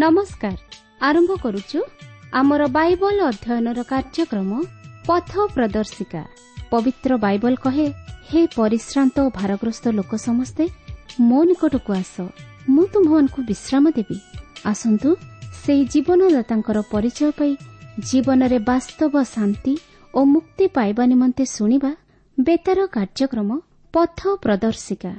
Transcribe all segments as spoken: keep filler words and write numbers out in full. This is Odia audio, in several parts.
ନମସ୍କାର। ଆରମ୍ଭ କରୁଛୁ ଆମର ବାଇବଲ ଅଧ୍ୟୟନର କାର୍ଯ୍ୟକ୍ରମ ପଥ ପ୍ରଦର୍ଶିକା। ପବିତ୍ର ବାଇବଲ କହେ, ହେ ପରିଶ୍ରାନ୍ତ ଓ ଭାରଗ୍ରସ୍ତ ଲୋକ ସମସ୍ତେ ମୋ ନିକଟକୁ ଆସ, ମୁଁ ତୁମ୍ଭମାନଙ୍କୁ ବିଶ୍ରାମ ଦେବି। ଆସନ୍ତୁ ସେହି ଜୀବନଦାତାଙ୍କର ପରିଚୟ ପାଇ ଜୀବନରେ ବାସ୍ତବ ଶାନ୍ତି ଓ ମୁକ୍ତି ପାଇବା ନିମନ୍ତେ ଶୁଣିବା ବେତାର କାର୍ଯ୍ୟକ୍ରମ ପଥ ପ୍ରଦର୍ଶିକା।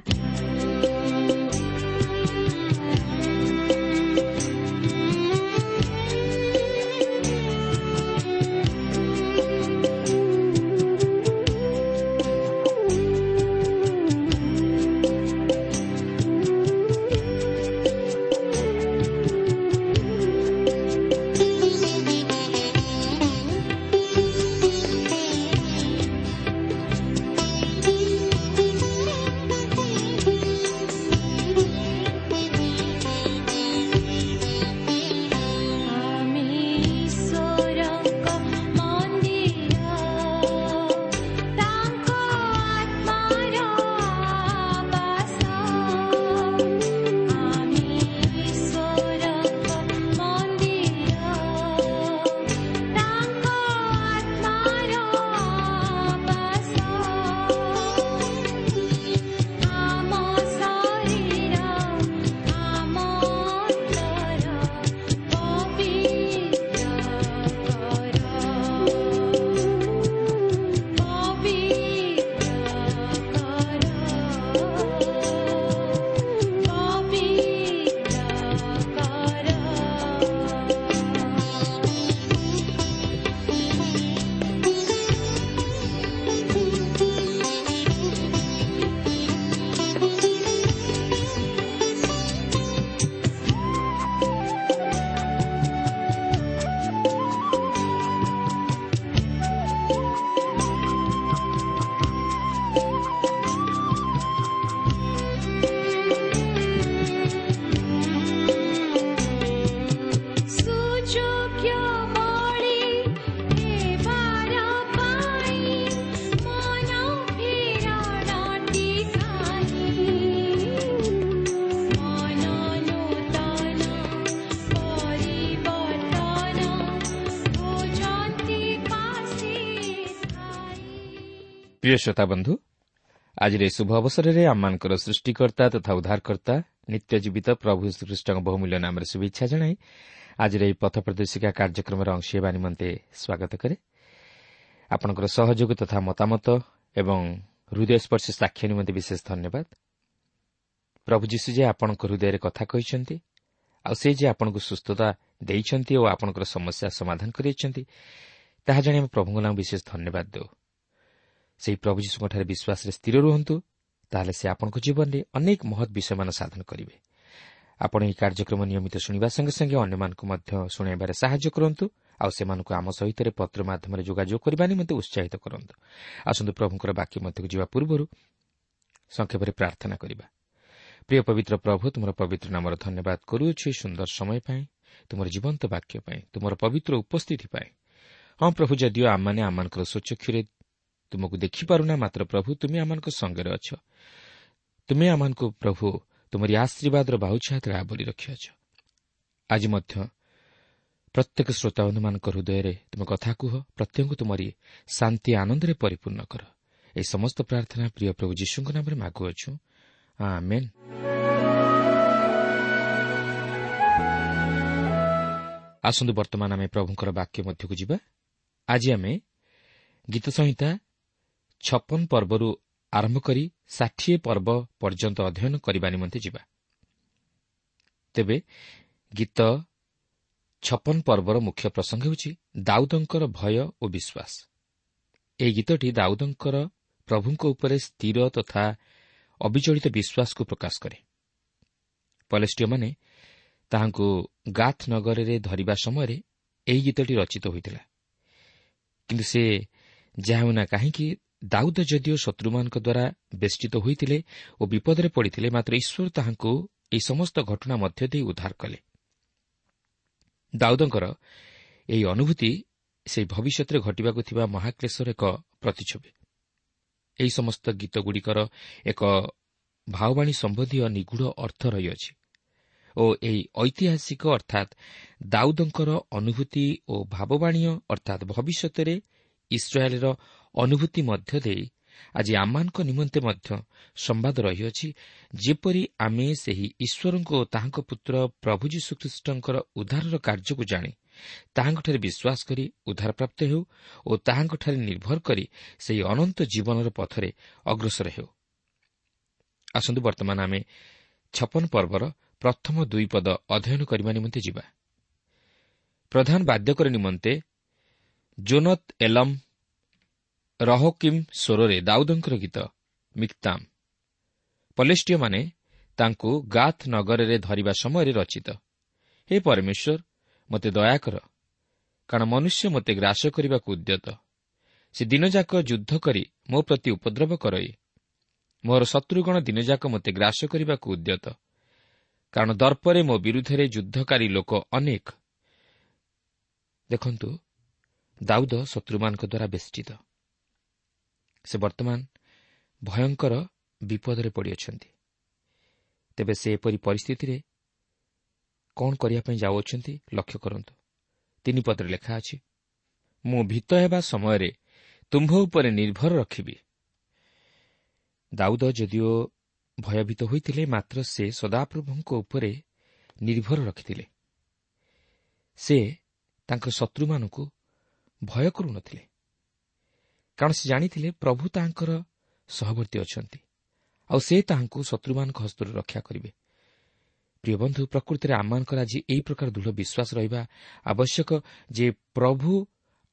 ପ୍ରିୟ ଶ୍ରୋତା ବନ୍ଧୁ, ଆଜିର ଏହି ଶୁଭ ଅବସରରେ ଆମମାନଙ୍କର ସୃଷ୍ଟିକର୍ତ୍ତା ତଥା ଉଦ୍ଧାରକର୍ତ୍ତା ନିତ୍ୟ ଜୀବିତ ପ୍ରଭୁ ଶ୍ରୀଖ୍ରୀଷ୍ଟଙ୍କ ବହୁମୂଲ୍ୟ ନାମରେ ଶୁଭେଚ୍ଛା ଜଣାଇ ଆଜିର ଏହି ପଥ ପ୍ରଦର୍ଶିକା କାର୍ଯ୍ୟକ୍ରମର ଅଂଶ ହେବା ନିମନ୍ତେ ସ୍ୱାଗତ କରେ। ଆପଣଙ୍କର ସହଯୋଗ ତଥା ମତାମତ ଏବଂ ହୃଦୟସ୍ପର୍ଶୀ ସାକ୍ଷ୍ୟ ନିମନ୍ତେ ବିଶେଷ ଧନ୍ୟବାଦ। ପ୍ରଭୁ ଯୀଶୁ ଯେ ଆପଣଙ୍କ ହୃଦୟରେ କଥା କହିଛନ୍ତି ଆଉ ସେ ଯେ ଆପଣଙ୍କୁ ସୁସ୍ଥତା ଦେଇଛନ୍ତି ଓ ଆପଣଙ୍କର ସମସ୍ୟା ସମାଧାନ କରିଅଛନ୍ତି, ତାହା ଜାଣି ଆମେ ପ୍ରଭୁଙ୍କ ନାମ ବିଶେଷ ଧନ୍ୟବାଦ ଦେଉ। ସେହି ପ୍ରଭୁ ଯୀଶୁଙ୍କଠାରେ ବିଶ୍ୱାସରେ ସ୍ଥିର ରୁହନ୍ତୁ, ତାହେଲେ ସେ ଆପଣଙ୍କ ଜୀବନରେ ଅନେକ ମହତ୍ ବିଷୟମାନ ସାଧନ କରିବେ। ଆପଣ ଏହି କାର୍ଯ୍ୟକ୍ରମ ନିୟମିତ ଶୁଣିବା ସଙ୍ଗେ ସଙ୍ଗେ ଅନ୍ୟମାନଙ୍କୁ ମଧ୍ୟ ଶୁଣାଇବାରେ ସାହାଯ୍ୟ କରନ୍ତୁ ଆଉ ସେମାନଙ୍କୁ ଆମ ସହିତ ପତ୍ର ମାଧ୍ୟମରେ ଯୋଗାଯୋଗ କରିବା ନିମନ୍ତେ ଉତ୍ସାହିତ କରନ୍ତୁ। ଆସନ୍ତୁ ପ୍ରଭୁଙ୍କର ବାକ୍ୟ ମଧ୍ୟକୁ ଯିବା ପୂର୍ବରୁ ସଂକ୍ଷେପରେ ପ୍ରାର୍ଥନା କରିବା। ପ୍ରିୟ ପବିତ୍ର ପ୍ରଭୁ, ତୁମର ପବିତ୍ର ନାମର ଧନ୍ୟବାଦ କରୁଅଛୁ ଏହି ସୁନ୍ଦର ସମୟ ପାଇଁ, ତୁମର ଜୀବନ୍ତ ବାକ୍ୟ ପାଇଁ, ତୁମର ପବିତ୍ର ଉପସ୍ଥିତି ପାଇଁ। ହଁ ପ୍ରଭୁ, ଯଦିଓ ଆମମାନେ ଆମମାନଙ୍କର ସ୍ୱଚକ୍ଷୁରେ ତୁମକୁ ଦେଖିପାରୁନା, ମାତ୍ର ପ୍ରଭୁ ତୁମେ ଆମମାନଙ୍କ ସଙ୍ଗରେ ଅଛ। ତୁମେ ଆମମାନଙ୍କୁ ପ୍ରଭୁ ତୁମରି ଆଶୀର୍ବାଦର ବାହୁଛାୟା ତଳେ ଆବୋରି ରଖିଅଛ। ଆଜି ମଧ୍ୟ ପ୍ରତ୍ୟେକ ଶ୍ରୋତାବନ୍ଧୁମାନଙ୍କ ହୃଦୟରେ ତୁମେ କଥା କୁହ, ପ୍ରତ୍ୟେକଙ୍କୁ ତୁମରି ଶାନ୍ତି ଆନନ୍ଦରେ ପରିପୂର୍ଣ୍ଣ କର। ଏହି ସମସ୍ତ ପ୍ରାର୍ଥନା ପ୍ରିୟ ପ୍ରଭୁ ଯୀଶୁଙ୍କ ନାମରେ ମାଗୁଅଛୁ, ଆମେନ୍। ଆସନ୍ତୁ ବର୍ତ୍ତମାନ ଆମେ ପ୍ରଭୁଙ୍କର ବାକ୍ୟ ମଧ୍ୟକୁ ଯିବା। ଆଜି ଆମେ ଗୀତ ସଂହିତା ଛପନ ପର୍ବରୁ ଆରମ୍ଭ କରି ଷାଠିଏ ପର୍ବ ପର୍ଯ୍ୟନ୍ତ ଅଧ୍ୟୟନ କରିବା ନିମନ୍ତେ ଯିବା। ତେବେ ଗୀତ ଛପନ ପର୍ବର ମୁଖ୍ୟ ପ୍ରସଙ୍ଗ ହେଉଛି ଦାଉଦଙ୍କର ଭୟ ଓ ବିଶ୍ୱାସ। ଏହି ଗୀତଟି ଦାଉଦଙ୍କର ପ୍ରଭୁଙ୍କ ଉପରେ ସ୍ଥିର ତଥା ଅବିଚଳିତ ବିଶ୍ୱାସକୁ ପ୍ରକାଶ କରେ। ପଲେଷ୍ଟୀୟମାନେ ତାହାଙ୍କୁ ଗାଥ ନଗରରେ ଧରିବା ସମୟରେ ଏହି ଗୀତଟି ରଚିତ ହୋଇଥିଲା। କିନ୍ତୁ ସେ ଯାହା ହେଉନା କାହିଁକି, ଦାଉଦ ଯଦିଓ ଶତ୍ରୁମାନଙ୍କ ଦ୍ୱାରା ବେଷ୍ଟିତ ହୋଇଥିଲେ ଓ ବିପଦରେ ପଡ଼ିଥିଲେ, ମାତ୍ର ଈଶ୍ୱର ତାହାଙ୍କୁ ଏହି ସମସ୍ତ ଘଟଣା ମଧ୍ୟ ଦେଇ ଉଦ୍ଧାର କଲେ। ଦାଉଦଙ୍କର ଏହି ଅନୁଭୂତି ସେହି ଭବିଷ୍ୟତରେ ଘଟିବାକୁ ଥିବା ମହାକ୍ଲେଶର ଏକ ପ୍ରତିଛବି। ଏହି ସମସ୍ତ ଗୀତଗୁଡ଼ିକର ଏକ ଭାବବାଣୀ ସମ୍ବନ୍ଧୀୟ ନିଗୂଢ଼ ଅର୍ଥ ରହିଅଛି ଓ ଓ ଏହି ଐତିହାସିକ ଅର୍ଥାତ୍ ଦାଉଦଙ୍କର ଅନୁଭୂତି ଓ ଭାବବାଣୀୟ ଅର୍ଥାତ୍ ଭବିଷ୍ୟତରେ ଇସ୍ରାଏଲ୍ର ଅନୁଭୂତି ମଧ୍ୟ ଦେଇ ଆଜି ଆମମାନଙ୍କ ନିମନ୍ତେ ମଧ୍ୟ ସମ୍ବାଦ ରହିଅଛି, ଯେପରି ଆମେ ସେହି ଈଶ୍ୱରଙ୍କ ଓ ତାହାଙ୍କ ପୁତ୍ର ପ୍ରଭୁ ଯୀଶୁଖ୍ରୀଷ୍ଟଙ୍କର ଉଦ୍ଧାରର କାର୍ଯ୍ୟକୁ ଜାଣି ତାହାଙ୍କଠାରେ ବିଶ୍ୱାସ କରି ଉଦ୍ଧାରପ୍ରାପ୍ତ ହେଉ ଓ ତାହାଙ୍କଠାରେ ନିର୍ଭର କରି ସେହି ଅନନ୍ତ ଜୀବନର ପଥରେ ଅଗ୍ରସର ହେଉ। ଆସନ୍ତୁ ବର୍ତ୍ତମାନ ଆମେ ଛପନ ପର୍ବର ପ୍ରଥମ ଦୁଇ ପଦ ଅଧ୍ୟୟନ କରିବା ନିମନ୍ତେ ଯିବା। ପ୍ରଧାନ ବାଦ୍ୟକର ନିମନ୍ତେ ଜୋନତ୍ ଏଲମ୍ ରହୋକିମ୍ ସ୍ୱରରେ ଦାଉଦଙ୍କର ଗୀତ ମିକ୍ତାମ୍। ପଲେଷ୍ଟୀୟମାନେ ତାଙ୍କୁ ଗାଥ୍ ନଗରରେ ଧରିବା ସମୟରେ ରଚିତ। ହେ ପରମେଶ୍ୱର, ମୋତେ ଦୟା କର, କାରଣ ମନୁଷ୍ୟ ମୋତେ ଗ୍ରାସ କରିବାକୁ ଉଦ୍ୟତ। ସେ ଦିନଯାକ ଯୁଦ୍ଧ କରି ମୋ ପ୍ରତି ଉପଦ୍ରବ କରଇ। ମୋର ଶତ୍ରୁଗଣ ଦିନଯାକ ମୋତେ ଗ୍ରାସ କରିବାକୁ ଉଦ୍ୟତ, କାରଣ ଦର୍ପରେ ମୋ ବିରୁଦ୍ଧରେ ଯୁଦ୍ଧକାରୀ ଲୋକ ଅନେକ। ଦେଖନ୍ତୁ, ଦାଉଦ ଶତ୍ରୁମାନଙ୍କ ଦ୍ୱାରା ବେଷ୍ଟିତ। ସେ ବର୍ତ୍ତମାନ ଭୟଙ୍କର ବିପଦରେ ପଡ଼ିଅଛନ୍ତି। ତେବେ ସେ ଏପରି ପରିସ୍ଥିତିରେ କ'ଣ କରିବା ପାଇଁ ଯାଉଅଛନ୍ତି ଲକ୍ଷ୍ୟ କରନ୍ତୁ। ତିନି ପଦରେ ଲେଖା ଅଛି, ମୁଁ ଭୀତ ହେବା ସମୟରେ ତୁମ୍ଭ ଉପରେ ନିର୍ଭର ରଖିବି। ଦାଉଦ ଯଦିଓ ଭୟଭୀତ ହୋଇଥିଲେ, ମାତ୍ର ସେ ସଦାପ୍ରଭୁଙ୍କ ଉପରେ ନିର୍ଭର ରଖିଥିଲେ। ସେ ତାଙ୍କ ଶତ୍ରୁମାନଙ୍କୁ ଭୟ କରୁନଥିଲେ, କାରଣ ସେ ଜାଣିଥିଲେ ପ୍ରଭୁ ତାହାଙ୍କର ସହବର୍ତ୍ତୀ ଅଛନ୍ତି ଆଉ ସେ ତାହାଙ୍କୁ ଶତ୍ରୁମାନଙ୍କ ହସ୍ତରୁ ରକ୍ଷା କରିବେ। ପ୍ରିୟ ବନ୍ଧୁ, ପ୍ରକୃତିରେ ଆମମାନଙ୍କର ଆଜି ଏହି ପ୍ରକାର ଦୃଢ଼ ବିଶ୍ୱାସ ରହିବା ଆବଶ୍ୟକ ଯେ ପ୍ରଭୁ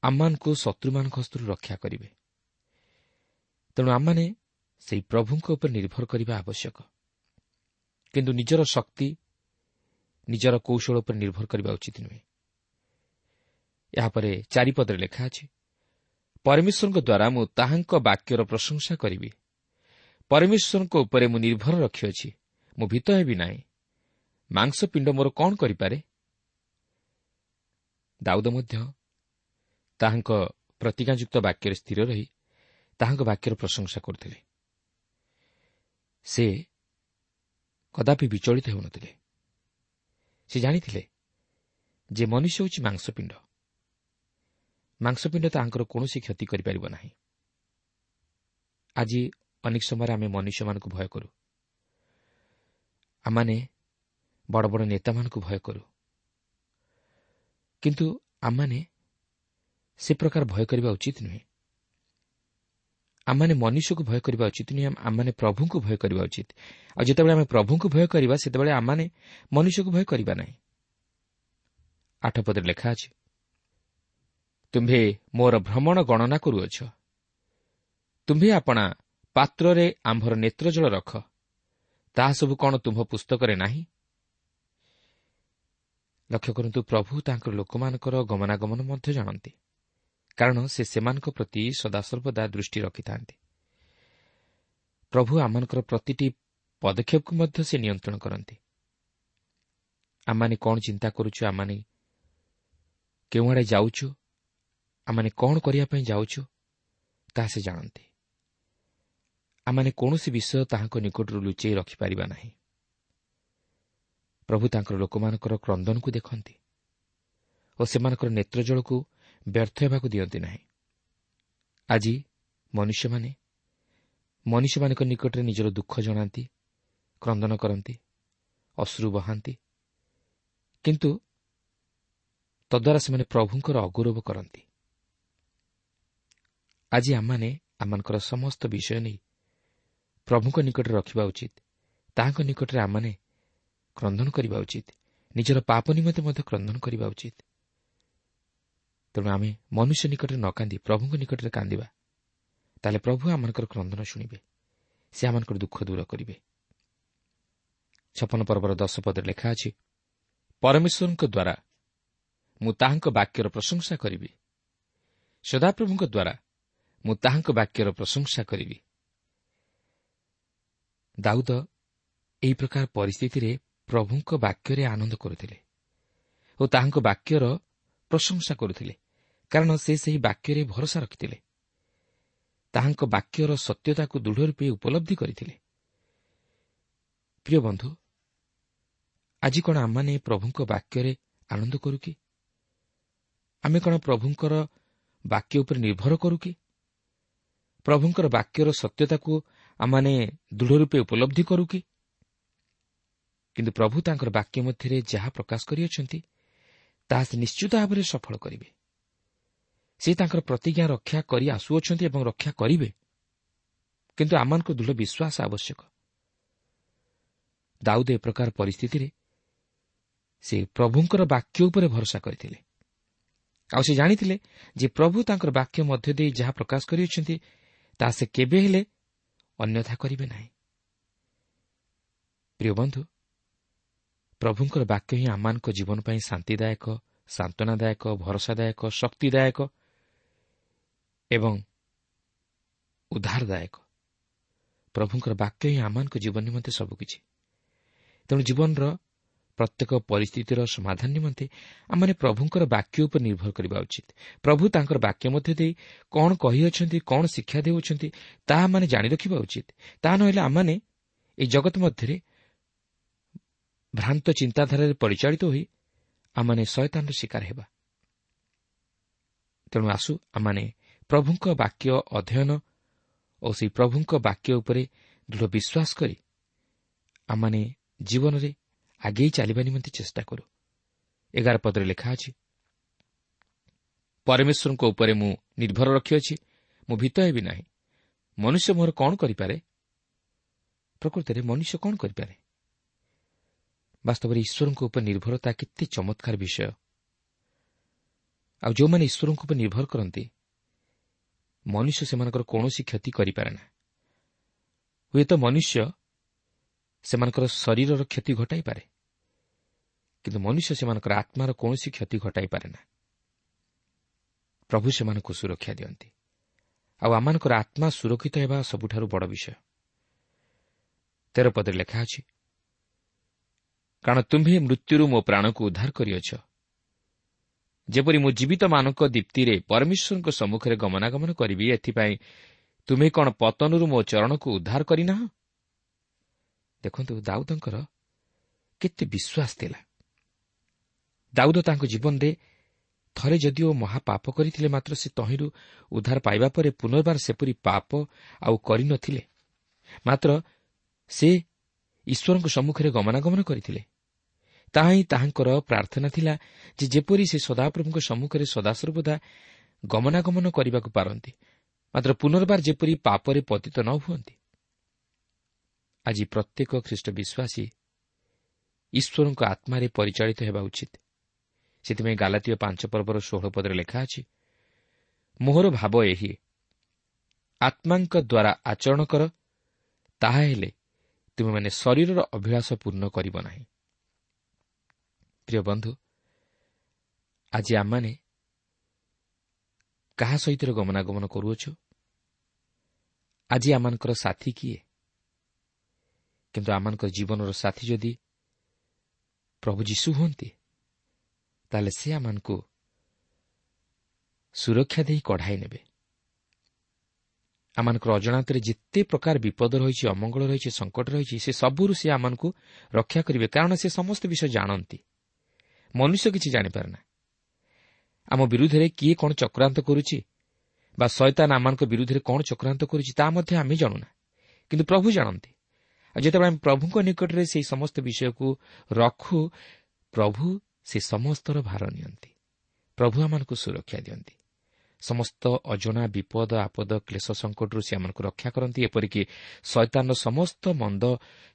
ଆମମାନଙ୍କୁ ଶତ୍ରୁମାନଙ୍କ ହସ୍ତରୁ ରକ୍ଷା କରିବେ। ତେଣୁ ଆମମାନେ ସେହି ପ୍ରଭୁଙ୍କ ଉପରେ ନିର୍ଭର କରିବା ଆବଶ୍ୟକ, କିନ୍ତୁ ନିଜର ଶକ୍ତି, ନିଜର କୌଶଳ ଉପରେ ନିର୍ଭର କରିବା ଉଚିତ ନୁହେଁ। ଏହାପରେ ଚାରିପଦରେ ଲେଖା ଅଛି, ପରମେଶ୍ୱରଙ୍କ ଦ୍ୱାରା ମୁଁ ତାହାଙ୍କ ବାକ୍ୟର ପ୍ରଶଂସା କରିବି। ପରମେଶ୍ୱରଙ୍କ ଉପରେ ମୁଁ ନିର୍ଭର ରଖିଅଛି, ମୁଁ ଭୀତ ହେବି ନାହିଁ। ମାଂସପିଣ୍ଡ ମୋର କ'ଣ କରିପାରେ? ଦାଉଦ ମଧ୍ୟ ତାହାଙ୍କ ପ୍ରତିଜ୍ଞାଯୁକ୍ତ ବାକ୍ୟରେ ସ୍ଥିର ରହି ତାହାଙ୍କ ବାକ୍ୟର ପ୍ରଶଂସା କରୁଥିଲେ। ସେ କଦାପି ବିଚଳିତ ହେଉନଥିଲେ। ସେ ଜାଣିଥିଲେ ଯେ ମନୁଷ୍ୟ ହେଉଛି ମାଂସପିଣ୍ଡ। ମାଂସପିଣ୍ଡ ତାହାଙ୍କର କୌଣସି କ୍ଷତି କରିପାରିବ ନାହିଁ। ଆଜି ଅନେକ ସମୟରେ ଆମେ ମନୁଷ୍ୟମାନଙ୍କୁ ଭୟ କରୁ, ଆମମାନେ ବଡ଼ ବଡ଼ ନେତାମାନଙ୍କୁ ଭୟ କରୁ, କିନ୍ତୁ ଆମମାନେ ସେ ପ୍ରକାର ଭୟ କରିବା ଉଚିତ ନୁହେଁ। ଆମମାନେ ମନୁଷ୍ୟକୁ ଭୟ କରିବା ଉଚିତ ନୁହେଁ, ଆମମାନେ ପ୍ରଭୁଙ୍କୁ ଭୟ କରିବା ଉଚିତ। ଆଉ ଯେତେବେଳେ ଆମେ ପ୍ରଭୁଙ୍କୁ ଭୟ କରିବା, ସେତେବେଳେ ଆମମାନେ ମନୁଷ୍ୟକୁ ଭୟ କରିବା ନାହିଁ। ଆଠ ପଦରେ ଲେଖା ଅଛି, ତୁମ୍ଭେ ମୋର ଭ୍ରମଣ ଗଣନା କରୁଅଛ, ତୁମ୍ଭେ ଆପଣା ପାତ୍ରରେ ଆମ୍ଭର ନେତ୍ରଜଳ ରଖ, ତାହା ସବୁ କ'ଣ ତୁମ୍ଭ ପୁସ୍ତକରେ ନାହିଁ? ଲକ୍ଷ୍ୟ କରନ୍ତୁ, ପ୍ରଭୁ ତାଙ୍କର ଲୋକମାନଙ୍କର ଗମନାଗମନ ମଧ୍ୟ ଜାଣନ୍ତି, କାରଣ ସେ ସେମାନଙ୍କ ପ୍ରତି ସଦାସର୍ବଦା ଦୃଷ୍ଟି ରଖିଥାନ୍ତି। ପ୍ରଭୁ ଆମମାନଙ୍କର ପ୍ରତିଟି ପଦକ୍ଷେପକୁ ମଧ୍ୟ ସେ ନିୟନ୍ତ୍ରଣ କରନ୍ତି। ଆମମାନେ କ'ଣ ଚିନ୍ତା କରୁଛୁ, ଆମମାନେ କେଉଁଆଡ଼େ ଯାଉଛୁ, ଆମମାନେ କ'ଣ କରିବା ପାଇଁ ଯାଉଛୁ, ତାହା ସେ ଜାଣନ୍ତି। ଆମମାନେ କୌଣସି ବିଷୟ ତାହାଙ୍କ ନିକଟରୁ ଲୁଚେଇ ରଖିପାରିବା ନାହିଁ। ପ୍ରଭୁ ତାଙ୍କର ଲୋକମାନଙ୍କର କ୍ରନ୍ଦନକୁ ଦେଖନ୍ତି ଓ ସେମାନଙ୍କର ନେତ୍ରଜଳକୁ ବ୍ୟର୍ଥ ହେବାକୁ ଦିଅନ୍ତି ନାହିଁ। ଆଜି ମନୁଷ୍ୟମାନେ ମନୁଷ୍ୟମାନଙ୍କ ନିକଟରେ ନିଜର ଦୁଃଖ ଜଣାନ୍ତି, କ୍ରନ୍ଦନ କରନ୍ତି, ଅଶ୍ରୁ ବହାନ୍ତି, କିନ୍ତୁ ତଦ୍ୱାରା ସେମାନେ ପ୍ରଭୁଙ୍କର ଅଗୌରବ କରନ୍ତି। ଆଜି ଆମମାନେ ଆମମାନଙ୍କର ସମସ୍ତ ବିଷୟ ନେଇ ପ୍ରଭୁଙ୍କ ନିକଟରେ ରଖିବା ଉଚିତ। ତାହାଙ୍କ ନିକଟରେ ଆମମାନେ କ୍ରନ୍ଦନ କରିବା ଉଚିତ, ନିଜର ପାପ ନିମନ୍ତେ ମଧ୍ୟ କ୍ରନ୍ଦନ କରିବା ଉଚିତ। ତେଣୁ ଆମେ ମନୁଷ୍ୟ ନିକଟରେ ନ କାନ୍ଦି ପ୍ରଭୁଙ୍କ ନିକଟରେ କାନ୍ଦିବା, ତାହେଲେ ପ୍ରଭୁ ଆମମାନଙ୍କର କ୍ରନ୍ଦନ ଶୁଣିବେ, ସେ ଆମମାନଙ୍କର ଦୁଃଖ ଦୂର କରିବେ। ଛପନ ପର୍ବର ଦଶ ପଦରେ ଲେଖା ଅଛି, ପରମେଶ୍ୱରଙ୍କ ଦ୍ୱାରା ମୁଁ ତାହାଙ୍କ ବାକ୍ୟର ପ୍ରଶଂସା କରିବି, ସଦାପ୍ରଭୁଙ୍କ ଦ୍ୱାରା ମୁଁ ତାହାଙ୍କ ବାକ୍ୟର ପ୍ରଶଂସା କରିବି। ଦାଉଦ ଏହି ପ୍ରକାର ପରିସ୍ଥିତିରେ ପ୍ରଭୁଙ୍କ ବାକ୍ୟରେ ଆନନ୍ଦ କରୁଥିଲେ ଓ ତାହାଙ୍କ ବାକ୍ୟର ପ୍ରଶଂସା କରୁଥିଲେ, କାରଣ ସେ ସେହି ବାକ୍ୟରେ ଭରସା ରଖିଥିଲେ, ତାହାଙ୍କ ବାକ୍ୟର ସତ୍ୟତାକୁ ଦୃଢ଼ ରୂପେ ଉପଲବ୍ଧି କରିଥିଲେ। ପ୍ରିୟ ବନ୍ଧୁ, ଆଜି କ'ଣ ଆମମାନେ ପ୍ରଭୁଙ୍କ ବାକ୍ୟରେ ଆନନ୍ଦ କରୁ କି? ଆମେ କ'ଣ ପ୍ରଭୁଙ୍କର ବାକ୍ୟ ଉପରେ ନିର୍ଭର କରୁ କି? ପ୍ରଭୁଙ୍କର ବାକ୍ୟର ସତ୍ୟତାକୁ ଆମମାନେ ଦୃଢ଼ ରୂପେ ଉପଲବ୍ଧି କରୁ କି? କିନ୍ତୁ ପ୍ରଭୁ ତାଙ୍କର ବାକ୍ୟ ମଧ୍ୟରେ ଯାହା ପ୍ରକାଶ କରିଅଛନ୍ତି ତାହା ସେ ନିଶ୍ଚିତ ଭାବରେ ସଫଳ କରିବେ। ସେ ତାଙ୍କର ପ୍ରତିଜ୍ଞା ରକ୍ଷା କରି ଆସୁଅଛନ୍ତି ଏବଂ ରକ୍ଷା କରିବେ। କିନ୍ତୁ ଆମମାନଙ୍କୁ ଦୃଢ଼ ବିଶ୍ୱାସ ଆବଶ୍ୟକ। ଦାଉଦ ଏ ପ୍ରକାର ପରିସ୍ଥିତିରେ ସେ ପ୍ରଭୁଙ୍କର ବାକ୍ୟ ଉପରେ ଭରସା କରିଥିଲେ। ଆଉ ସେ ଜାଣିଥିଲେ ଯେ ପ୍ରଭୁ ତାଙ୍କର ବାକ୍ୟ ମଧ୍ୟ ଦେଇ ଯାହା ପ୍ରକାଶ କରିଅଛନ୍ତି ତାହା ସେ କେବେ ହେଲେ ଅନ୍ୟଥା କରିବେ ନାହିଁ। ପ୍ରିୟ ବନ୍ଧୁ, ପ୍ରଭୁଙ୍କର ବାକ୍ୟ ହିଁ ଆମମାନଙ୍କ ଜୀବନ ପାଇଁ ଶାନ୍ତିଦାୟକ, ସାନ୍ତ୍ୱନାଦାୟକ, ଭରସାଦାୟକ, ଶକ୍ତିଦାୟକ ଏବଂ ଉଦ୍ଧାରଦାୟକ। ପ୍ରଭୁଙ୍କର ବାକ୍ୟ ହିଁ ଆମମାନଙ୍କ ଜୀବନ ନିମନ୍ତେ ସବୁକିଛି। ତେଣୁ ଜୀବନର ପ୍ରତ୍ୟେକ ପରିସ୍ଥିତିର ସମାଧାନ ନିମନ୍ତେ ଆମମାନେ ପ୍ରଭୁଙ୍କର ବାକ୍ୟ ଉପରେ ନିର୍ଭର କରିବା ଉଚିତ। ପ୍ରଭୁ ତାଙ୍କର ବାକ୍ୟ ମଧ୍ୟ ଦେଇ କ'ଣ କହିଅଛନ୍ତି, କ'ଣ ଶିକ୍ଷା ଦେଉଛନ୍ତି ତାହା ଆମମାନେ ଜାଣି ରଖିବା ଉଚିତ। ତାହା ନହେଲେ ଆମମାନେ ଏହି ଜଗତ ମଧ୍ୟରେ ଭ୍ରାନ୍ତ ଚିନ୍ତାଧାରାରେ ପରିଚାଳିତ ହୋଇ ଆମମାନେ ଶୟତାନର ଶିକାର ହେବା। ତେଣୁ ଆସୁ ଆମମାନେ ପ୍ରଭୁଙ୍କ ବାକ୍ୟ ଅଧ୍ୟୟନ ଓ ସେହି ପ୍ରଭୁଙ୍କ ବାକ୍ୟ ଉପରେ ଦୃଢ଼ ବିଶ୍ୱାସ କରି ଆମମାନେ ଜୀବନରେ ଆଗେଇ ଚାଲିବା ନିମନ୍ତେ ଚେଷ୍ଟା କରୁ। ଏଗାର ପଦରେ ଲେଖା ଅଛି, ପରମେଶ୍ୱରଙ୍କ ଉପରେ ମୁଁ ନିର୍ଭର ରଖିଅଛି, ମୁଁ ଭୀତ ହେବି ନାହିଁ। ମନୁଷ୍ୟ ମୋର କ'ଣ କରିପାରେ? ପ୍ରକୃତରେ ମନୁଷ୍ୟ କ'ଣ କରିପାରେ? ବାସ୍ତବରେ ଈଶ୍ୱରଙ୍କ ଉପରେ ନିର୍ଭରତା କେତେ ଚମତ୍କାର ବିଷୟ। ଆଉ ଯେଉଁମାନେ ଈଶ୍ୱରଙ୍କ ଉପରେ ନିର୍ଭର କରନ୍ତି, ମନୁଷ୍ୟ ସେମାନଙ୍କର କୌଣସି କ୍ଷତି କରିପାରେ ନା। ହୁଏତ ମନୁଷ୍ୟ ସେମାନଙ୍କର ଶରୀରର କ୍ଷତି ଘଟାଇପାରେ, କିନ୍ତୁ ମନୁଷ୍ୟ ସେମାନଙ୍କର ଆତ୍ମାର କୌଣସି କ୍ଷତି ଘଟାଇପାରେ ନା। ପ୍ରଭୁ ସେମାନଙ୍କୁ ସୁରକ୍ଷା ଦିଅନ୍ତି। ଆଉ ଆମମାନଙ୍କର ଆତ୍ମା ସୁରକ୍ଷିତ ହେବା ସବୁଠାରୁ ବଡ଼ ବିଷୟ। ତେର ପଦରେ ଲେଖା ଅଛି, କାରଣ ତୁମ୍ଭେ ମୃତ୍ୟୁରୁ ମୋ ପ୍ରାଣକୁ ଉଦ୍ଧାର କରିଅଛ, ଯେପରି ମୁଁ ଜୀବିତମାନଙ୍କ ଦୀପ୍ତିରେ ପରମେଶ୍ୱରଙ୍କ ସମ୍ମୁଖରେ ଗମନାଗମନ କରିବି, ଏଥିପାଇଁ ତୁମେ କ'ଣ ପତନରୁ ମୋ ଚରଣକୁ ଉଦ୍ଧାର କରିନାହ? ଦେଖନ୍ତୁ, ଦାଉଦଙ୍କର କେତେ ବିଶ୍ୱାସ ଥିଲା। ଦାଉଦ ତାଙ୍କ ଜୀବନରେ ଥରେ ଯଦିଓ ମହାପାପ କରିଥିଲେ, ମାତ୍ର ସେ ତହିଁରୁ ଉଦ୍ଧାର ପାଇବା ପରେ ପୁନର୍ବାର ସେପରି ପାପ ଆଉ କରିନଥିଲେ। ମାତ୍ର ସେ ଈଶ୍ୱରଙ୍କ ସମ୍ମୁଖରେ ଗମନାଗମନ କରିଥିଲେ। ତାହା ହିଁ ତାହାଙ୍କର ପ୍ରାର୍ଥନା ଥିଲା ଯେ ଯେପରି ସେ ସଦାପ୍ରଭୁଙ୍କ ସମ୍ମୁଖରେ ସଦାସର୍ବଦା ଗମନାଗମନ କରିବାକୁ ପାରନ୍ତି, ମାତ୍ର ପୁନର୍ବାର ଯେପରି ପାପରେ ପତିତ ନ ହୁଅନ୍ତି। ଆଜି ପ୍ରତ୍ୟେକ ଖ୍ରୀଷ୍ଟ ବିଶ୍ୱାସୀ ଈଶ୍ୱରଙ୍କ ଆତ୍ମାରେ ପରିଚାଳିତ ହେବା ଉଚିତ। ସେଥିପାଇଁ ଗାଲାତୀୟ ପାଞ୍ଚ ପର୍ବର ଷୋହଳ ପଦରେ ଲେଖା ଅଛି, ମୋହର ଭାବ ଏହି, ଆତ୍ମାଙ୍କ ଦ୍ୱାରା ଆଚରଣ କର, ତାହା ହେଲେ ତୁମେମାନେ ଶରୀରର ଅଭିଳାଷ ପୂର୍ଣ୍ଣ କରିବ ନାହିଁ। ପ୍ରିୟ ବନ୍ଧୁ, ଆଜି ଆମମାନେ କାହା ସହିତ ଗମନାଗମନ କରୁଅଛୁ? ଆଜି ଆମମାନଙ୍କର ସାଥୀ କିଏ? କିନ୍ତୁ ଆମମାନଙ୍କର ଜୀବନର ସାଥୀ ଯଦି ପ୍ରଭୁ ଯୀଶୁ ହୁଅନ୍ତି, ତାହେଲେ ସେ ଆମମାନଙ୍କୁ ସୁରକ୍ଷା ଦେଇ କଢ଼ାଇ ନେବେ। ଆମମାନଙ୍କର ଅଜାଣତରେ ଯେତେ ପ୍ରକାର ବିପଦ ରହିଛି, ଅମଙ୍ଗଳ ରହିଛି, ସଙ୍କଟ ରହିଛି, ସେ ସବୁରୁ ସେ ଆମମାନଙ୍କୁ ରକ୍ଷା କରିବେ, କାରଣ ସେ ସମସ୍ତ ବିଷୟ ଜାଣନ୍ତି। ମନୁଷ୍ୟ କିଛି ଜାଣିପାରେ ନା। ଆମ ବିରୁଦ୍ଧରେ କିଏ କ'ଣ ଚକ୍ରାନ୍ତ କରୁଛି ବା ଶୟତାନ ଆମମାନଙ୍କ ବିରୁଦ୍ଧରେ କ'ଣ ଚକ୍ରାନ୍ତ କରୁଛି ତାହା ମଧ୍ୟ ଆମେ ଜାଣୁନା, କିନ୍ତୁ ପ୍ରଭୁ ଜାଣନ୍ତି। ଆଉ ଯେତେବେଳେ ଆମେ ପ୍ରଭୁଙ୍କ ନିକଟରେ ସେହି ସମସ୍ତ ବିଷୟକୁ ରଖୁ, ପ୍ରଭୁ ସେ ସମସ୍ତର ଭାର ନିଅନ୍ତି। ପ୍ରଭୁ ଆମମାନଙ୍କୁ ସୁରକ୍ଷା ଦିଅନ୍ତି। ସମସ୍ତ ଅଜଣା ବିପଦ ଆପଦ କ୍ଲେଶ ସଙ୍କଟରୁ ସେ ଆମମାନଙ୍କୁ ରକ୍ଷା କରନ୍ତି। ଏପରିକି ଶୟତାନର ସମସ୍ତ ମନ୍ଦ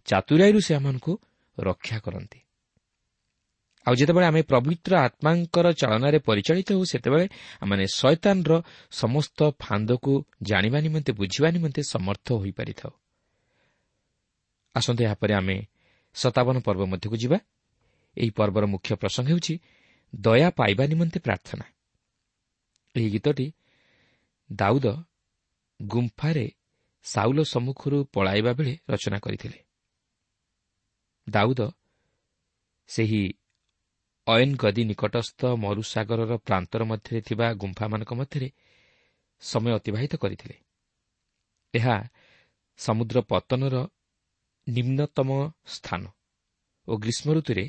ଚାତୁରାଇରୁ ସେ ଆମମାନଙ୍କୁ ରକ୍ଷା କରନ୍ତି। ଆଉ ଯେତେବେଳେ ଆମେ ପବିତ୍ର ଆତ୍ମାଙ୍କର ଚାଳନାରେ ପରିଚାଳିତ ହେଉ, ସେତେବେଳେ ଆମେ ଶୟତାନର ସମସ୍ତ ଫାନ୍ଦକୁ ଜାଣିବା ନିମନ୍ତେ, ବୁଝିବା ନିମନ୍ତେ ସମର୍ଥ ହୋଇପାରିଥାଉ। ଆସନ୍ତୁ ଏହାପରେ ଆମେ ସତାବନ ପର୍ବ ମଧ୍ୟକୁ ଯିବା। ଏହି ପର୍ବର ମୁଖ୍ୟ ପ୍ରସଙ୍ଗ ହେଉଛି ଦୟା ପାଇବା ନିମନ୍ତେ ପ୍ରାର୍ଥନା। ଏହି ଗୀତଟି ଦାଉଦ ଗୁମ୍ଫାରେ ସାଉଲ ସମ୍ମୁଖରୁ ପଳାଇବା ବେଳେ ରଚନା କରିଥିଲେ। ଦାଉଦ ସେହି ଅୟନଗଦି ନିକଟସ୍ଥ ମରୁସାଗରର ପ୍ରାନ୍ତର ମଧ୍ୟରେ ଥିବା ଗୁମ୍ଫାମାନଙ୍କ ମଧ୍ୟରେ ସମୟ ଅତିବାହିତ କରିଥିଲେ। ଏହା ସମୁଦ୍ର ପତନର ନିମ୍ନତମ ସ୍ଥାନ ଓ ଗ୍ରୀଷ୍ମ ଋତୁରେ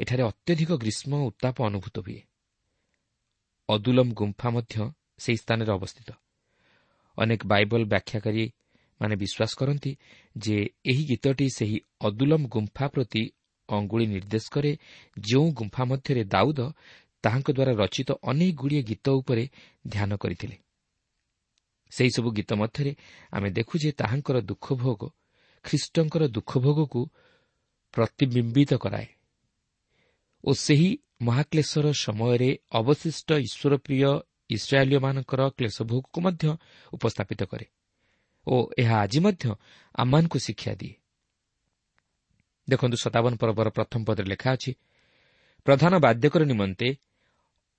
ଏଠାରେ ଅତ୍ୟଧିକ ଗ୍ରୀଷ୍ମ ଉତ୍ତାପ ଅନୁଭୂତ ହୁଏ। ଅଦୁଲମ ଗୁମ୍ଫା ମଧ୍ୟ ସେହି ସ୍ଥାନରେ ଅବସ୍ଥିତ। ଅନେକ ବାଇବଲ ବ୍ୟାଖ୍ୟାକାରୀ ମାନେ ବିଶ୍ୱାସ କରନ୍ତି ଯେ ଏହି ଗୀତଟି ସେହି ଅଦୁଲମ ଗୁମ୍ଫା ପ୍ରତି ଅଙ୍ଗୁଳି ନିର୍ଦ୍ଦେଶ କରେ, ଯେଉଁ ଗୁମ୍ଫା ମଧ୍ୟରେ ଦାଉଦ ତାହାଙ୍କ ଦ୍ୱାରା ରଚିତ ଅନେକ ଗୁଡ଼ିଏ ଗୀତ ଉପରେ ଧ୍ୟାନ କରିଥିଲେ। ସେହିସବୁ ଗୀତ ମଧ୍ୟରେ ଆମେ ଦେଖୁ ଯେ ତାହାଙ୍କର ଦୁଃଖଭୋଗ ଖ୍ରୀଷ୍ଟଙ୍କର ଦୁଃଖଭୋଗକୁ ପ୍ରତିବିମ୍ବିତ କରାଏ ଓ ସେହି ମହାକ୍ଲେଶର ସମୟରେ ଅବଶିଷ୍ଟ ଈଶ୍ୱରପ୍ରିୟ ଇସ୍ରାଏଲୀୟମାନଙ୍କର କ୍ଲେଶଭୋଗକୁ ମଧ୍ୟ ଉପସ୍ଥାପିତ କରେ ଓ ଏହା ଆଜି ମଧ୍ୟ ଆମମାନଙ୍କୁ ଶିକ୍ଷା ଦିଏ। ଦେଖନ୍ତୁ, ସତାବନ ପର୍ବର ପ୍ରଥମ ପଦରେ ଲେଖା ଅଛି, ପ୍ରଧାନ ବାଦ୍ୟକର ନିମନ୍ତେ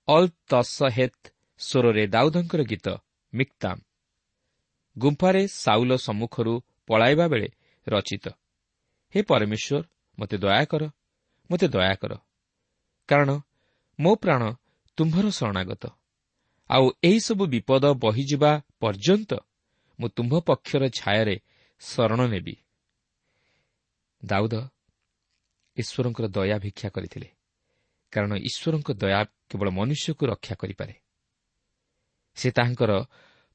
ଅଲ୍ ତସହେତ୍ ସ୍ୱରରେ ଦାଉଦଙ୍କର ଗୀତ ମିକ୍ତାମ୍, ଗୁମ୍ଫାରେ ସାଉଲ ସମ୍ମୁଖରୁ ପଳାଇବା ବେଳେ ରଚିତ। ହେ ପରମେଶ୍ୱର, ମୋତେ ଦୟା କର, ମୋତେ ଦୟା କର, କାରଣ ମୋ ପ୍ରାଣ ତୁମ୍ଭର ଶରଣାଗତ। ଆଉ ଏହିସବୁ ବିପଦ ବହିଯିବା ପର୍ଯ୍ୟନ୍ତ ମୁଁ ତୁମ୍ଭ ପକ୍ଷର ଛାୟାରେ ଶରଣ ନେବି। ଦାଉଦ ଈଶ୍ୱରଙ୍କର ଦୟା ଭିକ୍ଷା କରିଥିଲେ, କାରଣ ଈଶ୍ୱରଙ୍କ ଦୟା କେବଳ ମନୁଷ୍ୟକୁ ରକ୍ଷା କରିପାରେ। ସେ ତାହାଙ୍କର